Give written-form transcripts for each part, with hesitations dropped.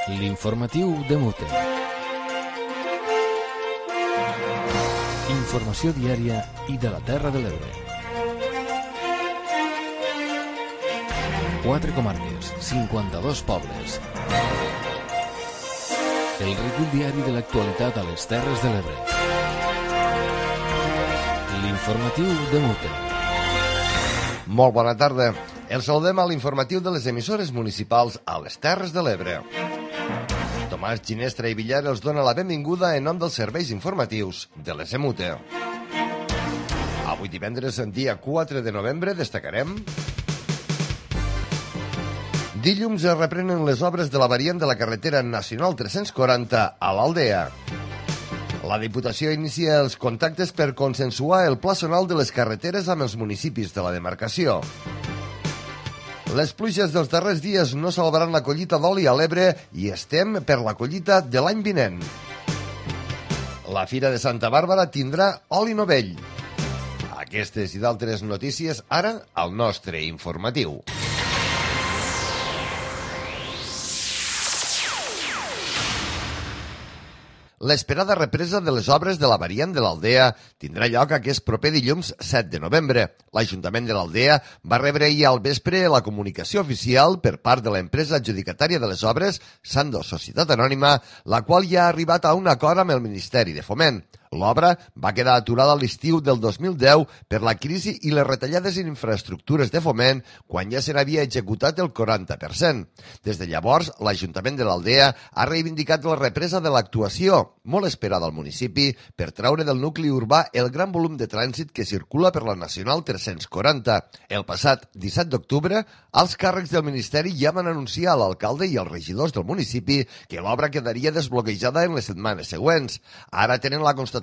L'informatiu de Mute. Informació diària i de la Terra de l'Ebre. 4 comarques, 52 pobles. El recull diari de l'actualitat a les Terres de l'Ebre. L'informatiu de Mute. Molt bona tarda. Els saludem a l'informatiu de les emissores municipals a les Terres de l'Ebre. Tomàs Ginestra i Villar els dona la benvinguda en nom dels serveis informatius de les EMUTE. Avui divendres, dia 4 de novembre, destacarem... Dilluns es reprenen les obres de la variant de la carretera nacional 340 a l'Aldea. La Diputació inicia els contactes per consensuar el pla zonal de les carreteres amb els municipis de la demarcació. Les pluges dels darrers dies no salvaran la collita d'oli a l'Ebre i estem per la collita de l'any vinent. La Fira de Santa Bàrbara tindrà oli novell. Aquestes i d'altres notícies ara al nostre informatiu. L'esperada represa de les obres de la variant de l'Aldea tindrà lloc aquest proper dilluns 7 de novembre. L'Ajuntament de l'Aldea va rebre ahir al vespre la comunicació oficial per part de l'empresa adjudicatària de les obres, Sando Societat Anònima, la qual ja ha arribat a un acord amb el Ministeri de Foment. L'obra va quedar aturada a l'estiu del 2010 per la crisi i les retallades en infraestructures de Foment quan ja se n'havia executat el 40%. Des de llavors, l'Ajuntament de l'Aldea ha reivindicat la represa de l'actuació, molt esperada al municipi, per traure del nucli urbà el gran volum de trànsit que circula per la Nacional 340. El passat 17 d'octubre, els càrrecs del Ministeri ja van anunciar a l'alcalde i als regidors del municipi que l'obra quedaria desbloquejada en les setmanes següents. Ara tenen la constatació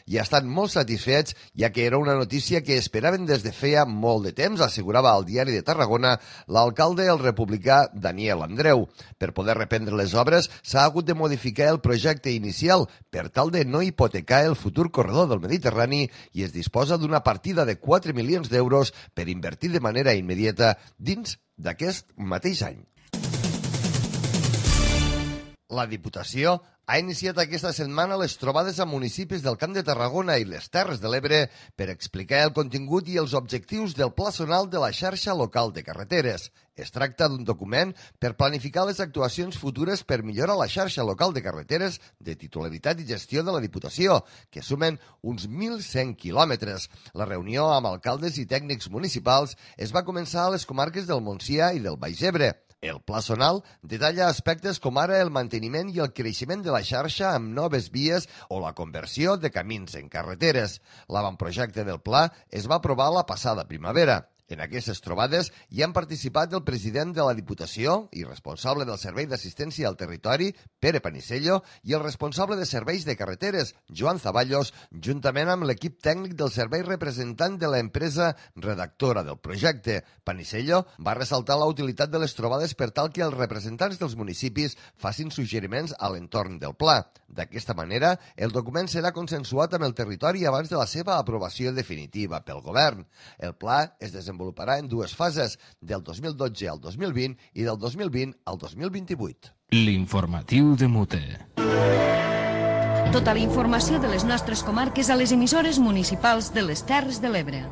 i estan molt satisfets, ja que era una notícia que esperaven des de feia molt de temps, assegurava al Diari de Tarragona l'alcalde el republicà Daniel Andreu. Per poder reprendre les obres s'ha hagut de modificar el projecte inicial per tal de no hipotecar el futur corredor del Mediterrani i es disposa d'una partida de 4 milions d'euros per invertir de manera immediata dins d'aquest mateix any. La Diputació ha iniciat aquesta setmana les trobades amb municipis del Camp de Tarragona i les Terres de l'Ebre per explicar el contingut i els objectius del Pla Zonal de la xarxa local de carreteres. Es tracta d'un document per planificar les actuacions futures per millorar la xarxa local de carreteres de titularitat i gestió de la Diputació, que sumen uns 1.100 quilòmetres. La reunió amb alcaldes i tècnics municipals es va començar a les comarques del Montsià i del Baix Ebre. El Pla Zonal detalla aspectes com ara el manteniment i el creixement de la xarxa amb noves vies o la conversió de camins en carreteres. L'avantprojecte del pla es va aprovar la passada primavera. En aquestes trobades hi han participat el president de la Diputació i responsable del Servei d'Assistència al Territori, Pere Panisello, i el responsable de Serveis de Carreteres, Joan Zaballos, juntament amb l'equip tècnic del servei representant de l'empresa redactora del projecte. Panisello va ressaltar la utilitat de les trobades per tal que els representants dels municipis facin suggeriments a l'entorn del pla. D'aquesta manera, el document serà consensuat amb el territori abans de la seva aprovació definitiva pel govern. El pla es desenvoluparà en dues fases, del 2012 al 2020 i del 2020 al 2028. L'informatiu de Mute. Tota la informació de les nostres comarques a les emissores municipals de les Terres de l'Ebre.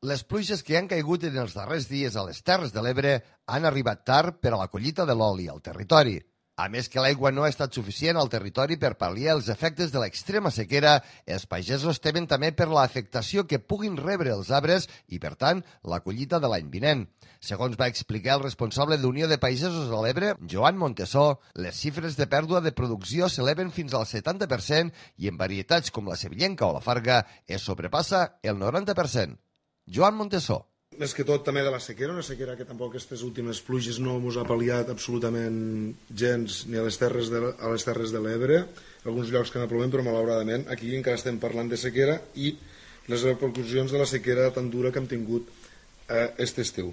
Les pluges que han caigut en els darrers dies a les Terres de l'Ebre han arribat tard per a la collita de l'oli al territori. A més que l'aigua no ha estat suficient al territori per pal·liar els efectes de l'extrema sequera, els pagesos temen també per l'afectació que puguin rebre els arbres i, per tant, la collita de l'any vinent. Segons va explicar el responsable d'Unió de Pagesos de l'Ebre, Joan Montesó, les xifres de pèrdua de producció s'eleven fins al 70% i en varietats com la sevillenca o la farga es sobrepassa el 90%. Joan Montesó. Més que tot també de la sequera, una sequera que tampoc aquestes últimes pluges no ens ha pal·liat absolutament gens ni a les terres de l'Ebre, alguns llocs que n'ha plovent, però malauradament aquí encara estem parlant de sequera i les repercussions de la sequera tan dura que hem tingut aquest estiu.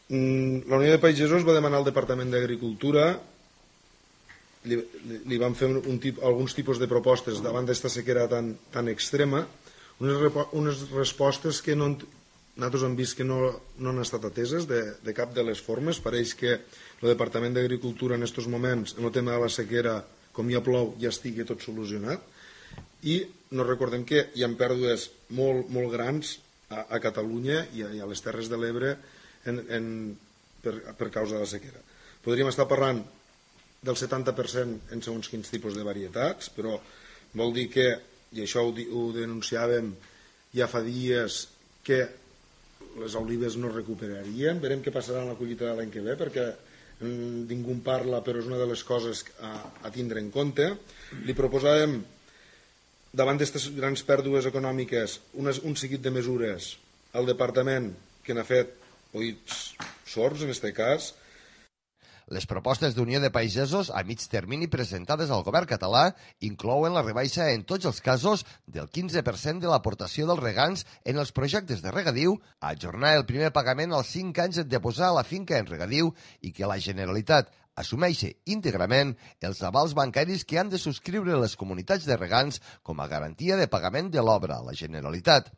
La Unió de Pagesos va demanar al Departament d'Agricultura, li van fer alguns tipus de propostes davant d'esta sequera tan extrema, unes respostes que no nosaltres hem vist que no han estat ateses de cap de les formes. Pareix que el Departament d'Agricultura en aquests moments, en el tema de la sequera, com ja plou, ja estigui tot solucionat. I no recordem que hi ha pèrdues molt grans a Catalunya i a les Terres de l'Ebre per causa de la sequera. Podríem estar parlant del 70% en segons quins tipus de varietats, però vol dir que, i això ho denunciàvem ja fa dies, que les olives no recuperarien. Verem què passarà en la collita de l'any que ve, perquè ningú en parla, però és una de les coses a tindre en compte. Li proposàvem, davant d'aquestes grans pèrdues econòmiques, un seguit de mesures al departament que n'ha fet oïts sords, en aquest cas. Les propostes d'Unió de Pagesos a mig termini presentades al govern català inclouen la rebaixa en tots els casos del 15% de l'aportació dels regants en els projectes de regadiu, ajornar el primer pagament als 5 anys de posar la finca en regadiu i que la Generalitat assumeixi íntegrament els avals bancaris que han de subscriure les comunitats de regants com a garantia de pagament de l'obra a la Generalitat.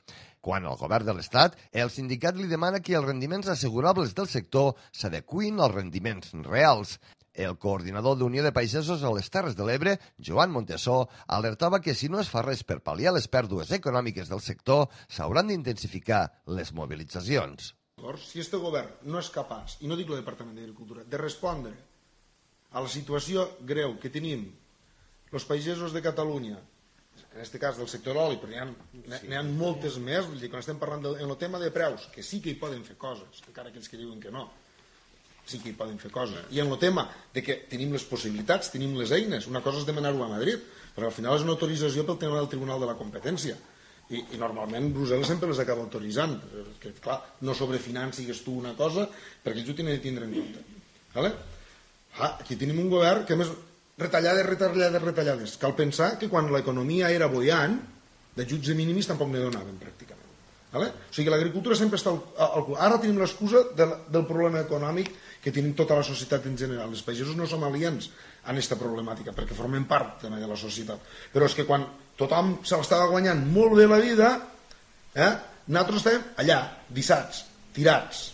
Quan al govern de l'Estat, el sindicat li demana que els rendiments assegurables del sector s'adequin als rendiments reals. El coordinador d'Unió de Pagesos a les Terres de l'Ebre, Joan Montesó, alertava que si no es fa res per pal·liar les pèrdues econòmiques del sector, s'hauran d'intensificar les mobilitzacions. Si aquest govern no és capaç, i no dic el Departament d'Agricultura, de respondre a la situació greu que tenim els pagesos de Catalunya, en aquest cas del sector oli, però n'hi ha moltes més. Vull dir, quan estem parlant en el tema de preus, que sí que hi poden fer coses, encara aquells que diuen que no, sí que hi poden fer coses. I en el tema de que tenim les possibilitats, tenim les eines, una cosa és demanar-ho a Madrid, però al final és una autorització pel tema del Tribunal de la Competència. I normalment Brussel·les sempre les acaba autoritzant, que clar, no sobrefinancis tu una cosa, perquè ells ho tenen de tindre en compte. Aquí tenim un govern que més retallades. Cal pensar que quan l'economia era boiant, d'ajuts de mínimis tampoc ne donaven pràcticament. O sigui, l'agricultura sempre està al cul. Ara tenim l'excusa del problema econòmic que tenim tota la societat en general. Els pagesos no som aliens a aquesta problemàtica, perquè formem part també de la societat. Però és que quan tothom se l'estava guanyant molt bé la vida, nosaltres estem allà, dissats, tirats.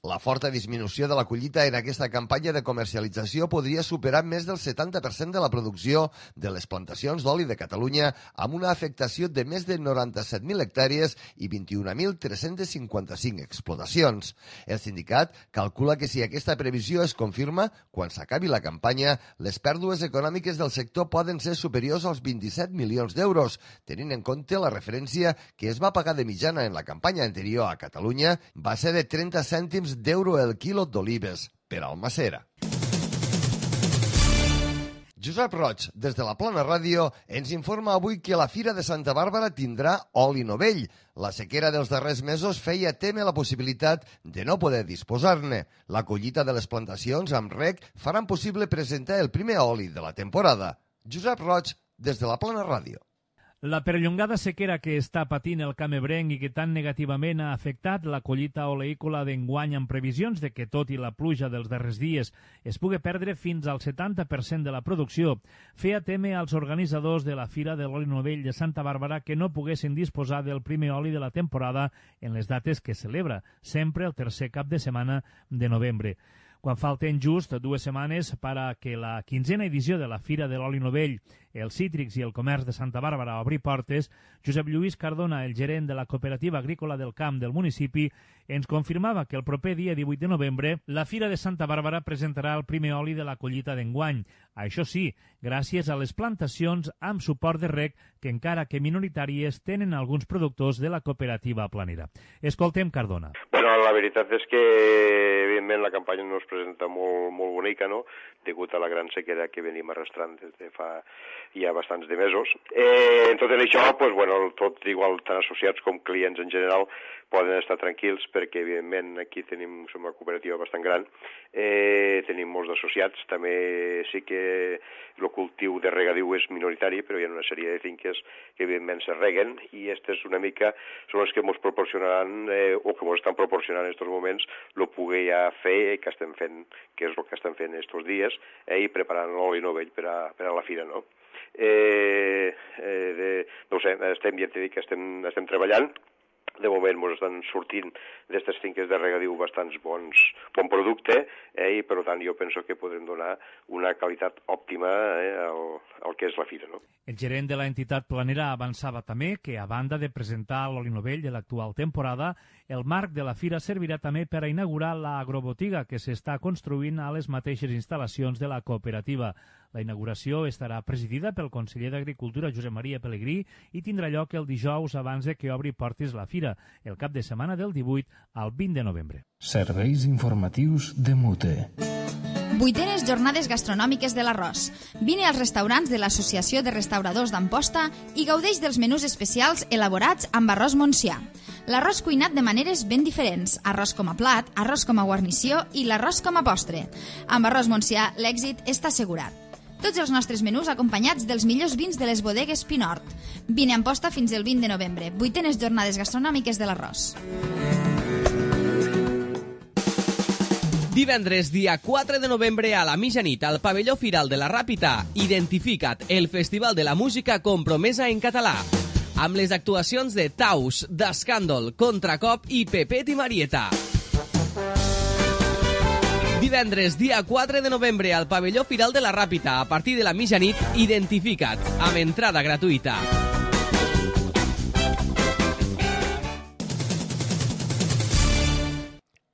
La forta disminució de la collita en aquesta campanya de comercialització podria superar més del 70% de la producció de les plantacions d'oli de Catalunya, amb una afectació de més de 97.000 hectàrees i 21.355 explotacions. El sindicat calcula que si aquesta previsió es confirma, quan s'acabi la campanya, les pèrdues econòmiques del sector poden ser superiors als 27 milions d'euros, tenint en compte la referència que es va pagar de mitjana en la campanya anterior a Catalunya va ser de 30 cèntims d'euro el quilo d'olives per Almacera. Josep Roig, des de la Plana Ràdio, ens informa avui que la Fira de Santa Bàrbara tindrà oli novell. La sequera dels darrers mesos feia témer la possibilitat de no poder disposar-ne. La collita de les plantacions amb reg faran possible presentar el primer oli de la temporada. Josep Roig, des de la Plana Ràdio. La perllongada sequera que està patint el camp ebrenc i que tan negativament ha afectat la collita oleícola d'enguany amb previsions de que, tot i la pluja dels darrers dies, es pugui perdre fins al 70% de la producció, feia témer als organitzadors de la Fira de l'Oli Novell de Santa Bàrbara que no poguessin disposar del primer oli de la temporada en les dates que celebra, sempre el tercer cap de setmana de novembre. Quan falten just 2 setmanes per a que la 15a edició de la Fira de l'Oli Novell, els cítrics i el comerç de Santa Bàrbara obri portes, Josep Lluís Cardona, el gerent de la Cooperativa Agrícola del Camp del municipi, ens confirmava que el proper dia 18 de novembre la Fira de Santa Bàrbara presentarà el primer oli de la collita d'enguany. Això sí, gràcies a les plantacions amb suport de reg que, encara que minoritàries, tenen alguns productors de la cooperativa planera. Escoltem Cardona. Bueno, la veritat és que, evidentment, la campanya no es presenta molt bonica, no?, degut a la gran sequera que venim arrastrant des de fa ja bastants de mesos. En tot això, pues, bueno, tot igual, tant associats com clients en general, poden estar tranquils perquè, evidentment, aquí som una cooperativa bastant gran, tenim molts associats, també sí que el cultiu de regadiu és minoritari, però hi ha una sèrie de finques que, evidentment, se reguen i aquestes una mica són les que ens proporcionaran, o que ens estan proporcionant en aquests moments, el poder ja fer, que estem fent, que és el que estem fent aquests dies, i preparant l'oli novell per a la fira, no? No ho sé, ja t'he dit que estem treballant. de moment ens estan sortint d'aquestes finques de regadiu bastants bon producte, i per tant jo penso que podrem donar una qualitat òptima al que és la fira. No? El gerent de l'entitat planera avançava també que, a banda de presentar l'oli novell de l'actual temporada, el marc de la fira servirà també per a inaugurar l'agrobotiga que s'està construint a les mateixes instal·lacions de la cooperativa. La inauguració estarà presidida pel conseller d'Agricultura, Josep Maria Pelegrí, i tindrà lloc el dijous abans de que obri portes la fira, el cap de setmana del 18 al 20 de novembre. Serveis informatius de Mute. 8enes jornades gastronòmiques de l'arròs. Vine als restaurants de l'Associació de Restauradors d'Amposta i gaudeix dels menús especials elaborats amb arròs Montsià. L'arròs cuinat de maneres ben diferents, arròs com a plat, arròs com a guarnició i l'arròs com a postre. Amb arròs Montsià l'èxit està assegurat. Tots els nostres menús acompanyats dels millors vins de les bodegues Pinort. Vine a Amposta fins el 20 de novembre. 8enes jornades gastronòmiques de l'arròs. Divendres, dia 4 de novembre, a la mitjanit, al pavelló Firal de la Ràpita, Identifica't, el Festival de la Música compromesa en català, amb les actuacions de Taus, d'Escàndol, Contracop i Pepet i Marieta. Divendres, dia 4 de novembre, al pavelló Firal de la Ràpita, a partir de la mitjanit, Identifica't, amb entrada gratuïta.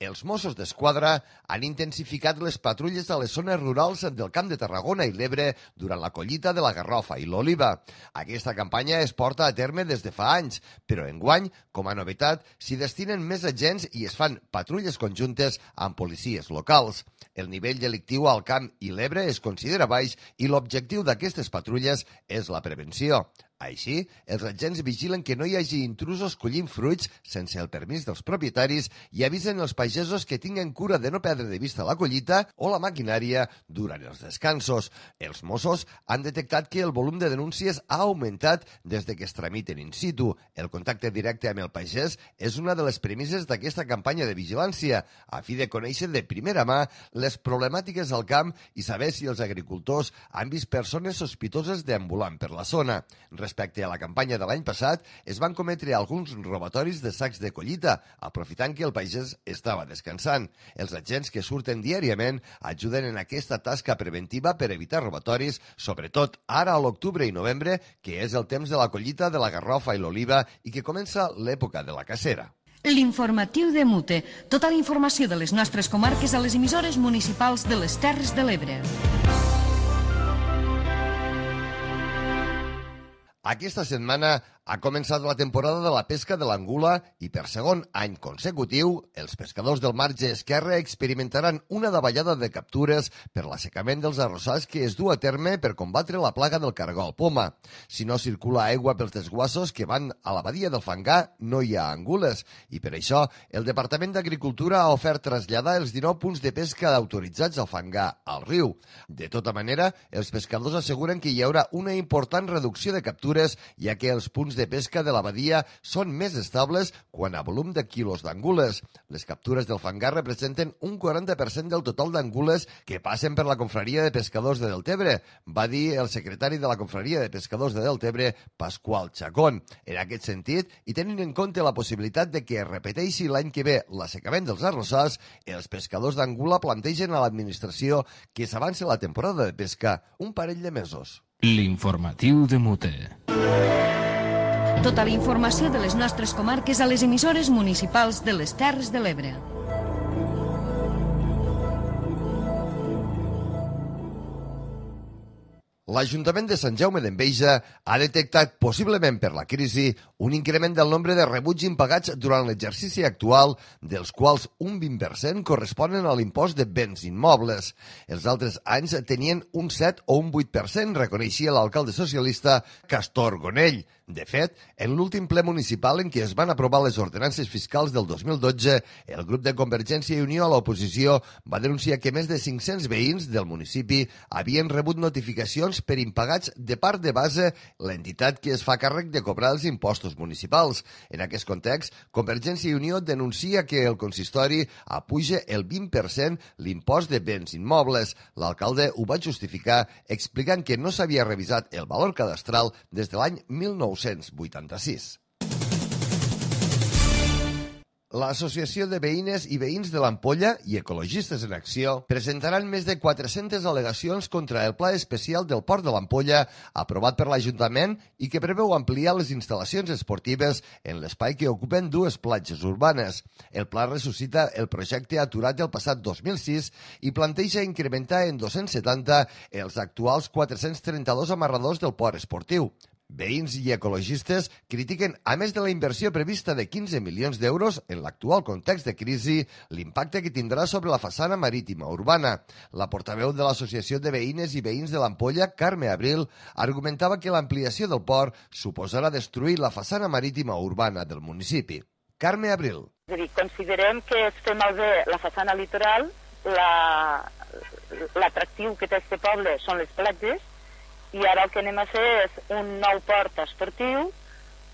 Els Mossos d'Esquadra han intensificat les patrulles a les zones rurals del Camp de Tarragona i l'Ebre durant la collita de la garrofa i l'oliva. Aquesta campanya es porta a terme des de fa anys, però enguany, com a novetat, s'hi destinen més agents i es fan patrulles conjuntes amb policies locals. El nivell delictiu al Camp i l'Ebre es considera baix i l'objectiu d'aquestes patrulles és la prevenció. Així, els agents vigilen que no hi hagi intrusos collint fruits sense el permís dels propietaris i avisen els pagesos que tinguen cura de no perdre de vista la collita o la maquinària durant els descansos. Els Mossos han detectat que el volum de denúncies ha augmentat des de que es tramiten in situ. El contacte directe amb el pagès és una de les premisses d'aquesta campanya de vigilància, a fi de conèixer de primera mà les problemàtiques al camp i saber si els agricultors han vist persones sospitoses deambulant per la zona. Respecte a la campanya de l'any passat, es van cometre alguns robatoris de sacs de collita, aprofitant que el pagès estava descansant. Els agents que surten diàriament ajuden en aquesta tasca preventiva per evitar robatoris, sobretot ara a l'octubre i novembre, que és el temps de la collita de la garrofa i l'oliva i que comença l'època de la cacera. L'informatiu de Mute. Tota la informació de les nostres comarques a les emissores municipals de les Terres de l'Ebre. Aquesta setmana ha començat la temporada de la pesca de l'angula i per segon any consecutiu els pescadors del marge esquerre experimentaran una davallada de captures per l'assecament dels arrossars que es du a terme per combatre la plaga del cargol poma. Si no circula aigua pels desguassos que van a la badia del Fangar, no hi ha angules i per això el Departament d'Agricultura ha ofert traslladar els 19 punts de pesca autoritzats al Fangar al riu. De tota manera, els pescadors asseguren que hi haurà una important reducció de captures, ja que els punts de pesca de la badia són més estables quan a volum de quilos d'angules. Les captures del Fangar representen un 40% del total d'angules que passen per la confraria de pescadors de Deltebre, va dir el secretari de la confraria de pescadors de Deltebre, Pasqual Chacón. En aquest sentit, i tenint en compte la possibilitat de que es repeteixi l'any que ve l'assecament dels arrossars, els pescadors d'angula plantegen a l'administració que s'avanci la temporada de pesca un parell de mesos. L'informatiu de Mute. Tota la informació de les nostres comarques a les emissores municipals de les Terres de l'Ebre. L'Ajuntament de Sant Jaume d'Enveja ha detectat, possiblement per la crisi, un increment del nombre de rebuts impagats durant l'exercici actual, dels quals un 20% corresponen a l'impost de béns immobles. Els altres anys tenien un 7 o un 8%, reconeixia l'alcalde socialista Castor Gonell. De fet, en l'últim ple municipal en què es van aprovar les ordenances fiscals del 2012, el grup de Convergència i Unió a l'oposició va denunciar que més de 500 veïns del municipi havien rebut notificacions per impagats de part de base, l'entitat que es fa càrrec de cobrar els impostos municipals. En aquest context, Convergència i Unió denuncia que el consistori apuja el 20% l'impost de béns immobles. L'alcalde ho va justificar explicant que no s'havia revisat el valor cadastral des de l'any 1986. L'Associació de Veïnes i Veïns de l'Ampolla i Ecologistes en Acció presentaran més de 400 al·legacions contra el Pla Especial del Port de l'Ampolla aprovat per l'Ajuntament i que preveu ampliar les instal·lacions esportives en l'espai que ocupen dues platges urbanes. El pla ressuscita el projecte aturat el passat 2006 i planteja incrementar en 270 els actuals 432 amarradors del port esportiu. Veïns i ecologistes critiquen, a més de la inversió prevista de 15 milions d'euros en l'actual context de crisi, l'impacte que tindrà sobre la façana marítima urbana. La portaveu de l'Associació de Veïnes i Veïns de l'Ampolla, Carme Abril, argumentava que l'ampliació del port suposarà destruir la façana marítima urbana del municipi. Carme Abril. És a dir, considerem que es fer malbé la façana litoral, l'atractiu que té este poble són les platges, i ara el que anem a fer és un nou port esportiu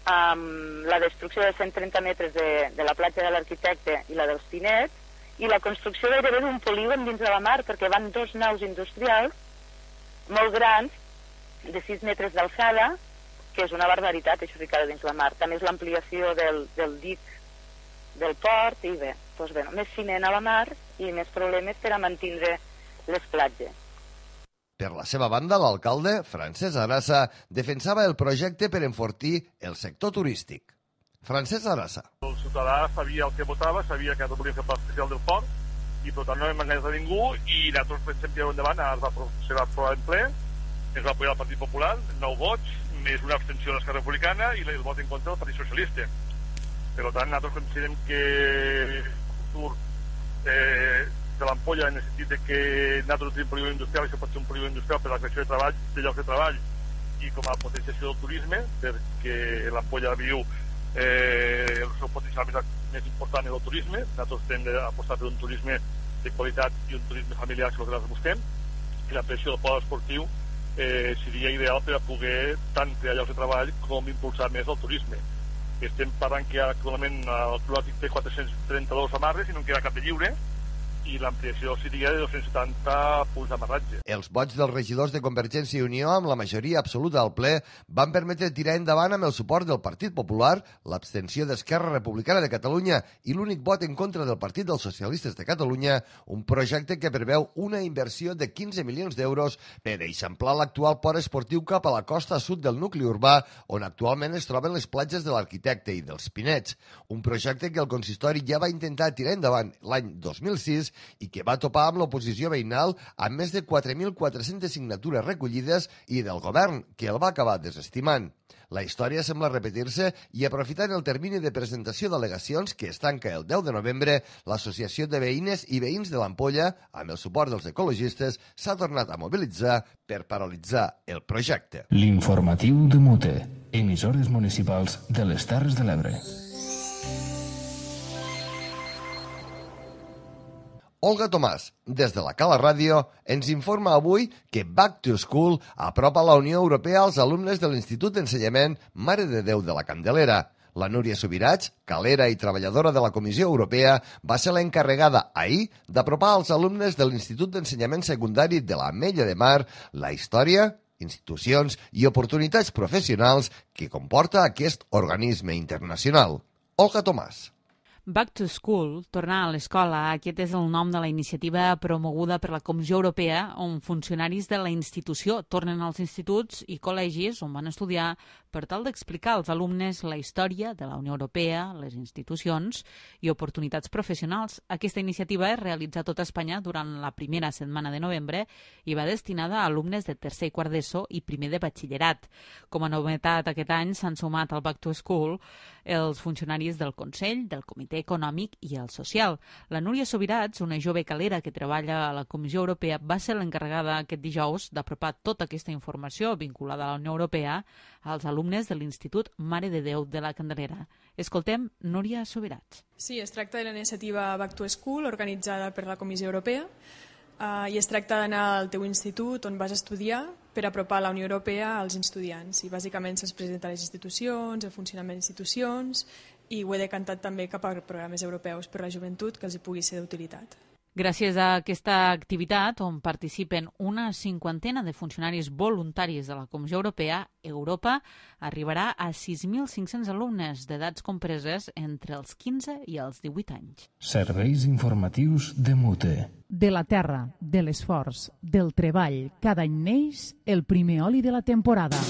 amb la destrucció de 130 metres de la platja de l'Arquitecte i la dels Pinets i la construcció gairebé d'un polígon dins de la mar perquè van dos naus industrials molt grans de 6 metres d'alçada, que és una barbaritat això ficada dins la mar. També és l'ampliació del dic del port i bé, doncs bé, més ciment a la mar i més problemes per a mantindre les platges. Per la seva banda, l'alcalde, Francesc Arasa, defensava el projecte per enfortir el sector turístic. Francesc Arasa. El ciutadà sabia el que votava, sabia que volia fer el pla especial del port i per tant no hem enganyat a ningú i nosaltres pensem que endavant se va aprovar en ple, es va apoyar el Partit Popular, 9 vots, més una abstenció de l'Esquerra Republicana i el vot en contra del Partit Socialista. Per tant, nosaltres considerem que el futur de l'Ampolla en el sentit de que nosaltres tenim polígon industrial i això pot ser un polígon industrial per a la creació de llocs de treball i com a potenciació del turisme, perquè l'Ampolla viu el seu potencial més important en el turisme. Nosaltres hem d'apostar per un turisme de qualitat i un turisme familiar, que és el que nosaltres busquem, i l'ampliació del port esportiu seria ideal per a poder tant crear llocs de treball com impulsar més el turisme. Estem parlant que actualment el Club Nàutic té 432 amarres i no en queda cap de lliure, i l'ampliació seria de 270 punts d'amarratge. Els vots dels regidors de Convergència i Unió amb la majoria absoluta al ple van permetre tirar endavant amb el suport del Partit Popular, l'abstenció d'Esquerra Republicana de Catalunya i l'únic vot en contra del Partit dels Socialistes de Catalunya, un projecte que preveu una inversió de 15 milions d'euros per eixamplar l'actual port esportiu cap a la costa sud del nucli urbà, on actualment es troben les platges de l'Arquitecte i dels Pinets. Un projecte que el consistori ja va intentar tirar endavant l'any 2006 i que va topar amb l'oposició veïnal amb més de 4.400 signatures recollides i del govern, que el va acabar desestimant. La història sembla repetir-se i aprofitant el termini de presentació d'al·legacions que es tanca el 10 de novembre, l'Associació de Veïnes i Veïns de l'Ampolla, amb el suport dels ecologistes, s'ha tornat a mobilitzar per paralitzar el projecte. L'informatiu de Mute, emissores municipals de les Terres de l'Ebre. Olga Tomàs, des de la Cala Ràdio, ens informa avui que Back to School apropa la Unió Europea als alumnes de l'Institut d'Ensenyament Mare de Déu de la Candelera. La Núria Subirats, calera i treballadora de la Comissió Europea, va ser l'encarregada ahir d'apropar als alumnes de l'Institut d'Ensenyament Secundari de l'Ametlla de Mar la història, institucions i oportunitats professionals que comporta aquest organisme internacional. Olga Tomàs. Back to School, tornar a l'escola, aquest és el nom de la iniciativa promoguda per la Comissió Europea, on funcionaris de la institució tornen als instituts i col·legis on van estudiar per tal d'explicar als alumnes la història de la Unió Europea, les institucions i oportunitats professionals. Aquesta iniciativa es realitza a tot Espanya durant la primera setmana de novembre i va destinada a alumnes de tercer i quart d'ESO i primer de batxillerat. Com a novetat aquest any s'han sumat al Back to School els funcionaris del Consell, del Comitè Econòmic i el Social. La Núria Subirats, una jove calera que treballa a la Comissió Europea, va ser l'encarregada aquest dijous d'apropar tota aquesta informació vinculada a la Unió Europea als alumnes de l'Institut Mare de Déu de la Candelera. Escoltem Núria Subirats. Sí, es tracta de la iniciativa Back to School organitzada per la Comissió Europea i es tracta d'anar al teu institut on vas estudiar per apropar la Unió Europea als estudiants. I bàsicament se'ls presenta les institucions, el funcionament de institucions i ho he decantat també cap a programes europeus per la joventut que els hi pugui ser d'utilitat. Gràcies a aquesta activitat, on participen una cinquantena de funcionaris voluntaris de la Comissió Europea, Europa arribarà a 6.500 alumnes d'edats compreses entre els 15 i els 18 anys. Serveis informatius de Mute. De la terra, de l'esforç, del treball, cada any neix el primer oli de la temporada.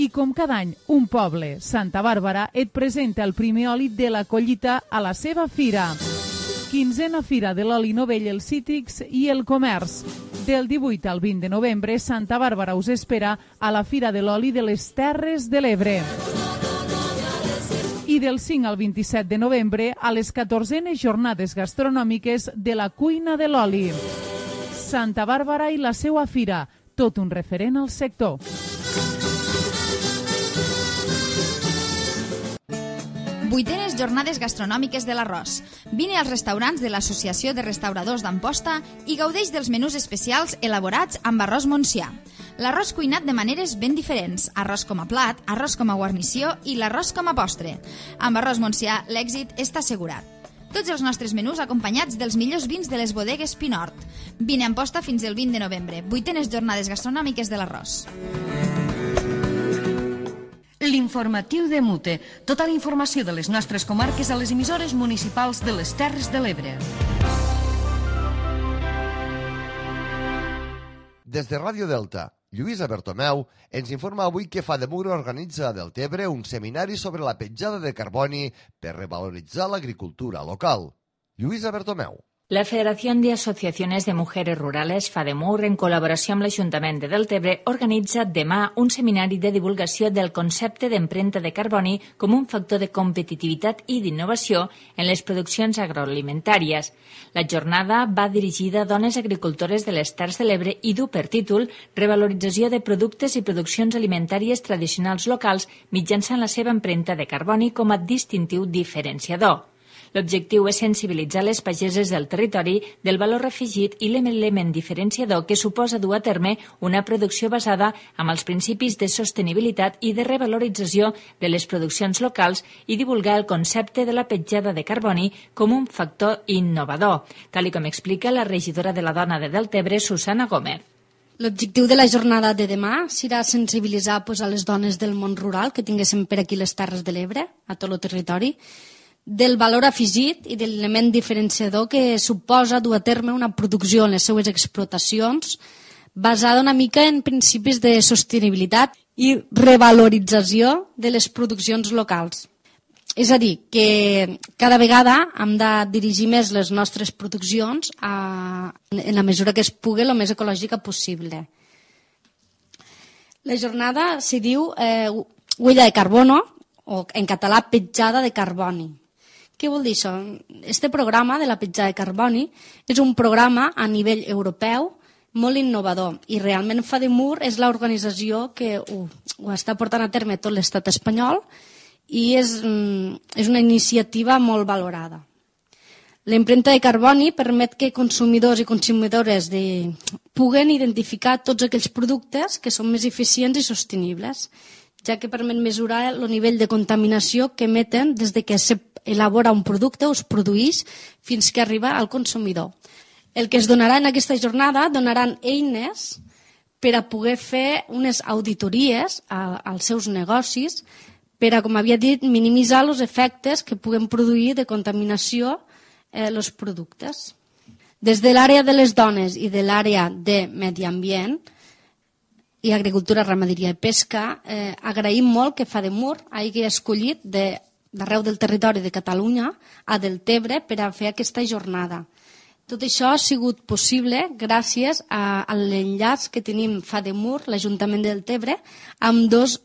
I com cada any, un poble, Santa Bàrbara, et presenta el primer oli de la collita a la seva fira. 15a Fira de l'Oli Novell, els Cítrics i el Comerç. Del 18 al 20 de novembre, Santa Bàrbara us espera a la Fira de l'Oli de les Terres de l'Ebre. I del 5 al 27 de novembre, a les 14enes jornades gastronòmiques de la cuina de l'oli. Santa Bàrbara i la seva fira, tot un referent al sector. Vuitenes jornades gastronòmiques de l'arròs. Vine als restaurants de l'Associació de Restauradors d'Amposta i gaudeix dels menús especials elaborats amb arròs Montsià. L'arròs cuinat de maneres ben diferents, arròs com a plat, arròs com a guarnició i l'arròs com a postre. Amb arròs Montsià l'èxit està assegurat. Tots els nostres menús acompanyats dels millors vins de les bodegues Pinort. Vine a Amposta fins el 20 de novembre. Vuitenes jornades gastronòmiques de l'arròs. L'informatiu de Mute. Tota la informació de les nostres comarques a les emissores municipals de les Terres de l'Ebre. Des de Ràdio Delta, Lluïsa Bertomeu ens informa avui que FADEMUR organitza a Deltebre un seminari sobre la petjada de carboni per revaloritzar l'agricultura local. Lluïsa Bertomeu. La Federación de Asociaciones de Mujeres Rurales, FADEMUR, en col·laboració amb l'Ajuntament de Deltebre, organitza demà un seminari de divulgació del concepte d'empremta de carboni com un factor de competitivitat i d'innovació en les produccions agroalimentàries. La jornada va dirigida a dones agricultores de les Terres de l'Ebre i du per títol Revalorització de productes i produccions alimentàries tradicionals locals mitjançant la seva empremta de carboni com a distintiu diferenciador. L'objectiu és sensibilitzar les pageses del territori del valor afegit i l'element diferenciador que suposa dur a terme una producció basada en els principis de sostenibilitat i de revalorització de les produccions locals i divulgar el concepte de la petjada de carboni com un factor innovador, tal com explica la regidora de la Dona de Deltebre, Susana Gómez. L'objectiu de la jornada de demà serà sensibilitzar a les dones del món rural que tinguéssim per aquí les Terres de l'Ebre, a tot el territori, del valor afegit i de l'element diferenciador que suposa dur a terme una producció en les seues explotacions basada una mica en principis de sostenibilitat i revalorització de les produccions locals. És a dir, que cada vegada hem de dirigir més les nostres produccions en la mesura que es pugui el més ecològica possible. La jornada se diu huella de carbono, o en català petjada de carboni. Què vol dir això? Este programa de la petjada de carboni és un programa a nivell europeu molt innovador i realment FADEMUR és l'organització que ho està portant a terme tot l'estat espanyol i és una iniciativa molt valorada. L'empremta de carboni permet que consumidors i consumidores puguen identificar tots aquells productes que són més eficients i sostenibles, ja que permet mesurar el nivell de contaminació que emeten des que s'elabora un producte o es produeix fins que arriba al consumidor. El que es donarà en aquesta jornada donaran eines per a poder fer unes auditories als seus negocis per a, com havia dit, minimitzar els efectes que puguen produir de contaminació els productes. Des de l'àrea de les dones i de l'àrea de medi ambient i agricultura, ramaderia i pesca, agraïm molt que FADEMUR hagi escollit d'arreu del territori de Catalunya a Deltebre per a fer aquesta jornada. Tot això ha sigut possible gràcies a l'enllaç que tenim FADEMUR, l'Ajuntament de Deltebre, amb dos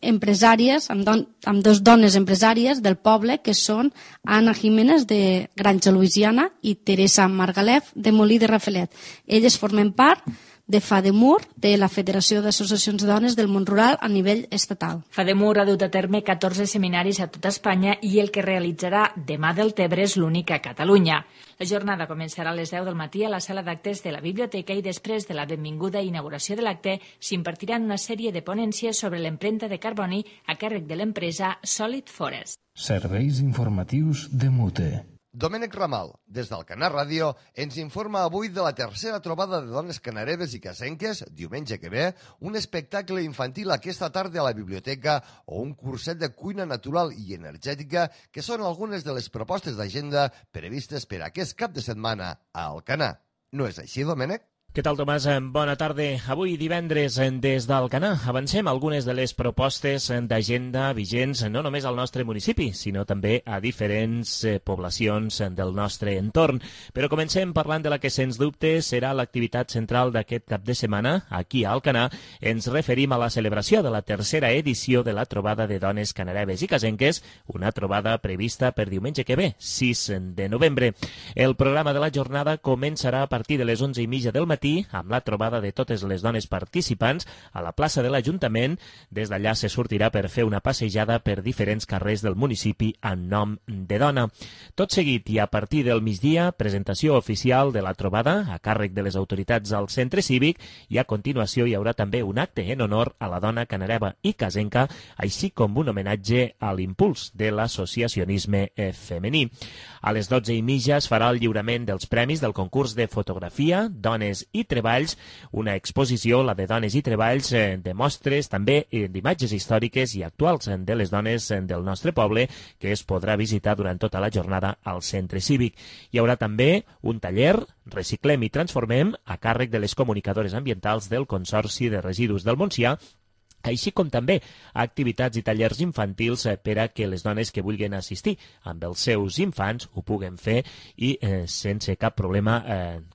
dones empresàries del poble, que són Anna Jiménez, de Granja Louisiana, i Teresa Margalef, de Molí de Raffelet. Elles formen part de FADEMUR, de la Federació d'Associacions de Dones del Món Rural a nivell estatal. FADEMUR ha dut a terme 14 seminaris a tota Espanya i el que realitzarà demà Deltebre és l'únic a Catalunya. La jornada començarà a les 10 del matí a la sala d'actes de la biblioteca i després de la benvinguda i inauguració de l'acte s'impartiran una sèrie de ponències sobre l'empremta de carboni a càrrec de l'empresa Solid Forest. Serveis informatius de Mute. Domènec Ramal, des d'Alcanar Ràdio, ens informa avui de la tercera trobada de dones canareves i casenques, diumenge que ve, un espectacle infantil aquesta tarda a la biblioteca o un curset de cuina natural i energètica que són algunes de les propostes d'agenda previstes per aquest cap de setmana a Alcanar. No és així, Domènec? Què tal, Tomàs? Bona tarda. Avui divendres des d'Alcanar avancem algunes de les propostes d'agenda vigents no només al nostre municipi, sinó també a diferents poblacions del nostre entorn. Però comencem parlant de la que, sens dubte, serà l'activitat central d'aquest cap de setmana. Aquí a Alcanar ens referim a la celebració de la tercera edició de la trobada de dones canareves i casenques, una trobada prevista per diumenge que ve, 6 de novembre. El programa de la jornada començarà a partir de les 11:30 del matí amb la trobada de totes les dones participants a la plaça de l'Ajuntament. Des d'allà se sortirà per fer una passejada per diferents carrers del municipi en nom de dona. Tot seguit i a partir del migdia, presentació oficial de la trobada a càrrec de les autoritats al centre cívic i a continuació hi haurà també un acte en honor a la dona canareva i casenca, així com un homenatge a l'impuls de l'associacionisme femení. A les 12:30 es farà el lliurament dels premis del concurs de fotografia, dones i treballs, una exposició, la de dones i treballs, de mostres, també d'imatges històriques i actuals de les dones del nostre poble, que es podrà visitar durant tota la jornada al centre cívic. Hi haurà també un taller, Reciclem i Transformem, a càrrec de les comunicadores ambientals del Consorci de Residus del Montsià, així com també activitats i tallers infantils per a que les dones que vulguin assistir amb els seus infants ho puguen fer i sense cap problema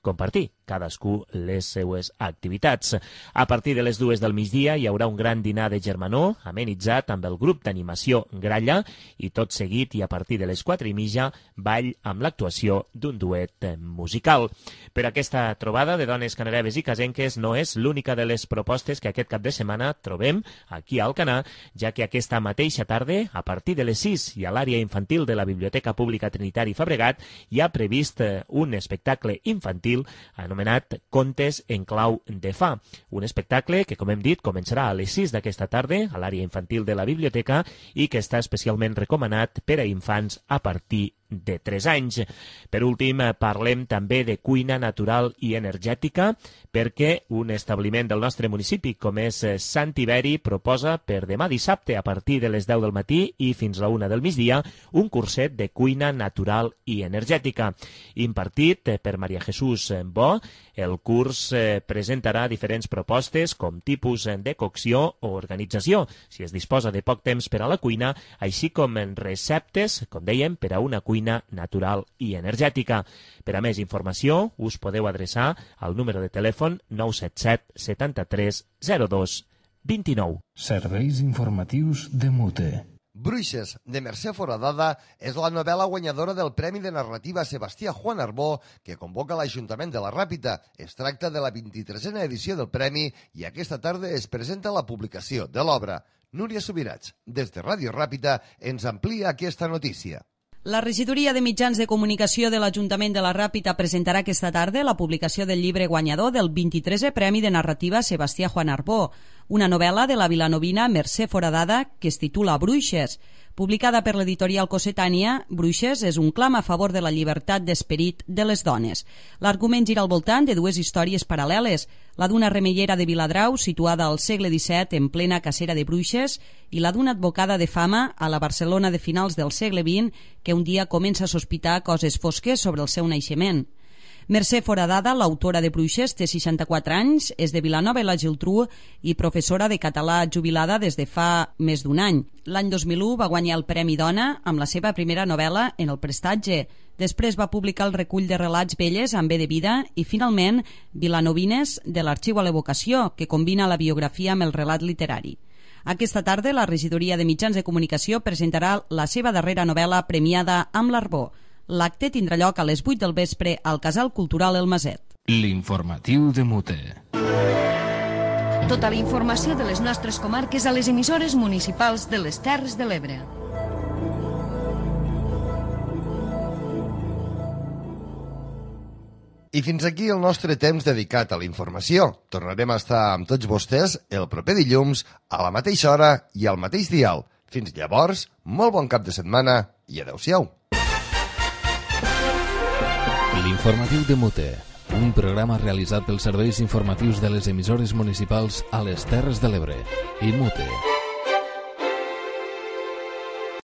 compartir cadascú les seues activitats. A partir de les 2 del migdia hi haurà un gran dinar de germanor amenitzat amb el grup d'animació Gralla i tot seguit i a partir de les 4:30 ball amb l'actuació d'un duet musical. Per aquesta trobada de dones canareves i casenques no és l'única de les propostes que aquest cap de setmana trobem aquí a Alcanar, ja que aquesta mateixa tarda, a partir de les 6 i a l'àrea infantil de la Biblioteca Pública Trinitari Fabregat, hi ha previst un espectacle infantil anomenat Contes en clau de fa. Un espectacle que, com hem dit, començarà a les 6 d'aquesta tarda a l'àrea infantil de la biblioteca i que està especialment recomanat per a infants a partir de 3 anys. Per últim, parlem també de cuina natural i energètica, perquè un establiment del nostre municipi, com és Sant Tiberi, proposa per demà dissabte a partir de les 10 del matí i fins a la 1 del migdia un curset de cuina natural i energètica. Impartit per Maria Jesús Bo, el curs presentarà diferents propostes com tipus de cocció o organització, si es disposa de poc temps per a la cuina, així com receptes, com dèiem, per a una cuina natural i energètica. Per a més informació, us podeu adreçar al número de telèfon 977 73 02 29. Serveis informatius de Mute. Bruixes, de Mercè Foradada, és la novel·la guanyadora del Premi de Narrativa Sebastià Juan Arbó que convoca l'Ajuntament de la Ràpita. Es tracta de la 23a edició del Premi i aquesta tarda es presenta la publicació de l'obra. Núria Subirats, des de Ràdio Ràpita, ens amplia aquesta notícia. La regidoria de mitjans de comunicació de l'Ajuntament de la Ràpita presentarà aquesta tarda la publicació del llibre guanyador del 23è Premi de Narrativa Sebastià Juan Arbó, una novel·la de la vilanovina Mercè Foradada que es titula Bruixes. Publicada per l'editorial Cossetània, Bruixes és un clam a favor de la llibertat d'esperit de les dones. L'argument gira al voltant de dues històries paral·leles, la d'una remeiera de Viladrau situada al segle XVII en plena cacera de bruixes i la d'una advocada de fama a la Barcelona de finals del segle XX que un dia comença a sospitar coses fosques sobre el seu naixement. Mercè Foradada, l'autora de Bruixes, té 64 anys, és de Vilanova i la Geltrú i professora de català jubilada des de fa més d'un any. L'any 2001 va guanyar el Premi Dona amb la seva primera novel·la En el prestatge. Després va publicar el recull de relats velles amb B de vida i, finalment, Vilanovines de l'Arxiu a l'Evocació, que combina la biografia amb el relat literari. Aquesta tarda, la regidoria de mitjans de comunicació presentarà la seva darrera novel·la premiada amb l'Arbó. L'acte tindrà lloc a les 8 del vespre al Casal Cultural El Maset. L'informatiu de Mute. Tota la informació de les nostres comarques a les emissores municipals de les Terres de l'Ebre. I fins aquí el nostre temps dedicat a la informació. Tornarem a estar amb tots vostès el proper dilluns a la mateixa hora i al mateix dial. Fins llavors, molt bon cap de setmana i adeu-siau. L'informatiu de Mute, un programa realitzat pels serveis informatius de les emissores municipals a les Terres de l'Ebre i Mute.